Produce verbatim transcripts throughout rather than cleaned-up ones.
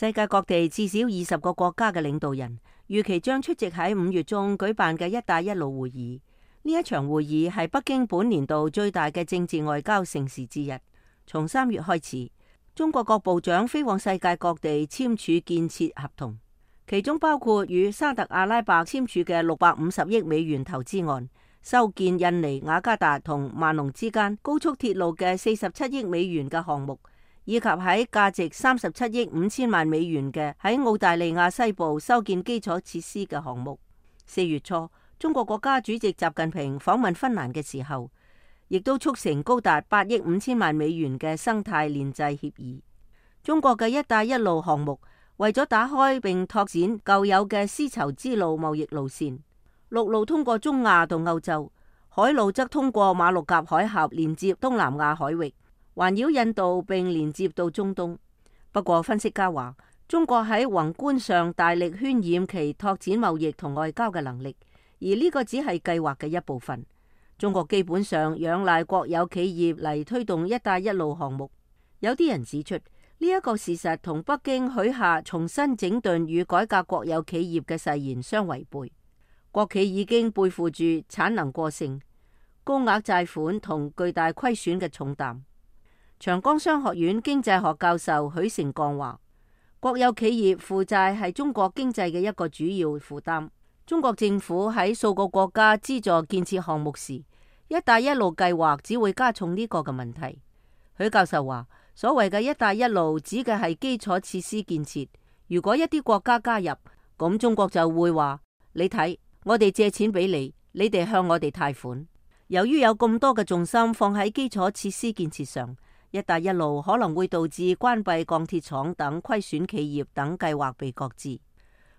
世界各地至少二十個國家嘅領導人預期將出席喺五月中舉辦嘅一帶一路會議。呢一場會議係北京本年度最大嘅政治外交盛事之一。從三月開始，中國各部長飛往世界各地簽署建設合同，其中包括與沙特阿拉伯簽署嘅六百五十億美元投資案，修建印尼雅加達同萬隆之間高速鐵路嘅四十七億美元嘅項目，以及喺價值三十七億五千萬美元嘅喺澳大利亞西部修建基礎設施嘅項目。四月初，中國國家主席習近平訪問芬蘭嘅時候，亦都促成高達八億五千萬美元嘅生態鏈制協議。中國嘅一帶一路項目為咗打開並拓展舊有嘅絲綢之路貿易路線，陸路通過中亞到歐洲，海路則通過馬六甲海峽連接東南亞海域，環繞印度並連接到中東。不過分析家話，中國喺宏觀上大力渲染其拓展貿易同外交嘅能力，而呢個只係計劃嘅一部分。中國基本上仰賴國有企業嚟推動一帶一路項目。有啲人指出，呢一個事實同北京許下重新整頓與改革國有企業嘅誓言相違背。國企已經背負住產能過剩、高額債款同巨大虧損嘅重擔。長江商學院經濟學教授許成鋼話，國有企業負債係中國經濟嘅一個主要負擔。中國政府喺數個國家資助建設項目時，一帶一路計劃只會加重呢個嘅問題。許教授話，所謂嘅一帶一路指嘅係基礎設施建設。如果一啲國家加入，咁中國就會話，你睇，我哋借錢俾你，你哋向我哋貸款。由於有咁多嘅重心放喺基礎設施建設上，一帶一路可能會導致關閉鋼鐵廠等虧損企業等計劃被擱置。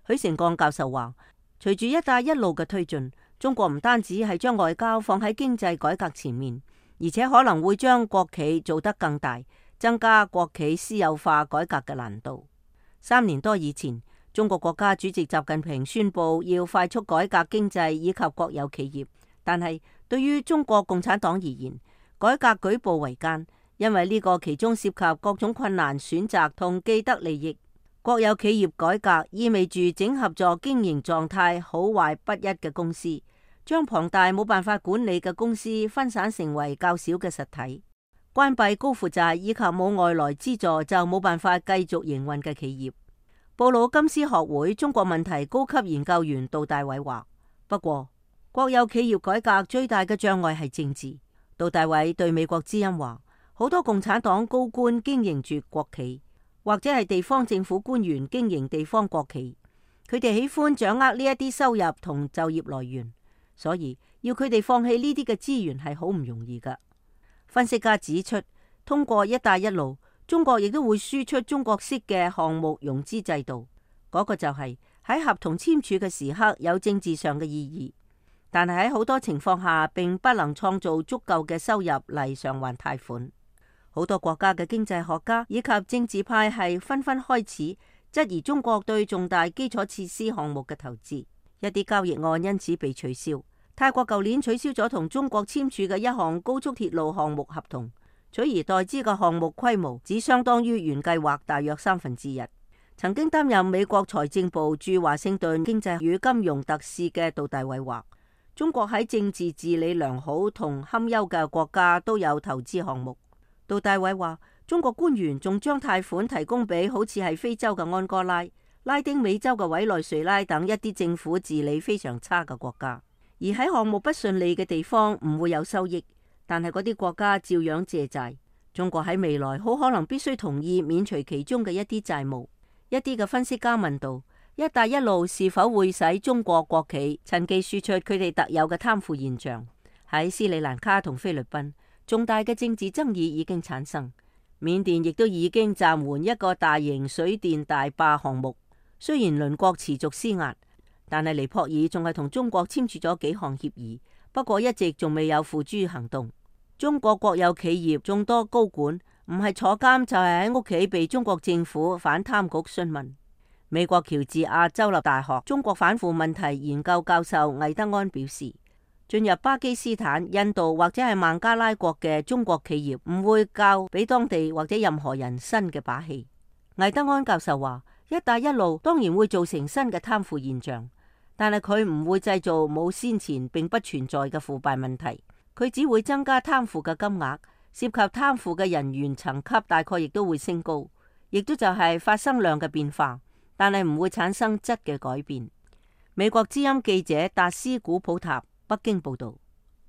許成鋼教授話，隨住一帶一路嘅推進，中國唔單止係將外交放喺經濟改革前面，而且可能會將國企做得更大，增加國企私有化改革嘅難度。三年多以前，中國國家主席習近平宣布要快速改革經濟以及國有企業，但係對於中國共產黨而言，改革舉步維艱，因為呢個其中涉及各種困難選擇同既得利益。國有企業改革意味住整合咗經營狀態好壞不一嘅公司，將龐大冇辦法管理嘅公司分散成為較小嘅實體，關閉高負債以及冇外來資助就冇辦法繼續營運嘅企業。布魯金斯學會中國問題高級研究員杜大偉話，不過國有企業改革最大嘅障礙係政治。杜大偉對美國之音話，好多共產黨高官經營住國企，或者係地方政府官員經營地方國企，佢哋喜歡掌握呢一啲收入同就業來源，所以要佢哋放棄呢啲嘅資源係好唔容易噶。分析家指出，通過一帶一路，中國亦都會輸出中國式嘅項目融資制度，嗰、那個就係喺合同簽署嘅時刻有政治上嘅意義，但係喺好多情況下並不能創造足夠嘅收入嚟償還貸款。好多國家嘅經濟學家以及政治派系紛紛開始質疑中國對重大基礎設施項目嘅投資，一啲交易案因此被取消。泰國舊年取消咗同中國簽署嘅一項高速鐵路項目合同，取而代之嘅項目規模只相當於原計劃大約三分之一。曾經擔任美國財政部駐華盛頓經濟與金融特使嘅杜大偉話，中國喺政治治理良好同堪憂嘅國家都有投資項目。杜大偉話，中國官員仲將貸款提供俾好似係非洲嘅安哥拉、拉丁美洲嘅委內瑞拉等一啲政府治理非常差嘅國家。而喺項目不順利嘅地方唔會有收益，但係嗰啲國家照樣借債。中國喺未來好可能必須同意免除其中嘅一啲債務。一啲嘅分析家問道，一帶一路是否會使中國國企趁機輸出佢哋特有嘅貪腐現象？喺斯里蘭卡同菲律賓，重大嘅政治爭議已經產生。緬甸亦都已經暫緩一個大型水電大壩項目。雖然鄰國持續施壓，但係尼泊爾仲係同中國簽署咗幾項協議，不過一直仲未有付諸行動。中國國有企業眾多高管唔係坐監就係喺屋企被中國政府反貪局詢問。美國喬治亞州立大學中國反腐問題研究教授魏德安表示，進入巴基斯坦、印度或者係孟加拉國嘅中國企業唔會教俾當地或者任何人新嘅把戲。魏德安教授話，一帶一路當然會造成新嘅貪腐現象，但係佢唔會製造冇先前並不存在嘅腐敗問題，佢只會增加貪腐嘅金額，涉及貪腐嘅人員層級大概亦都會升高，亦都就係發生量嘅變化，但係唔會產生質嘅改變。美國之音記者達斯古普塔北京報道。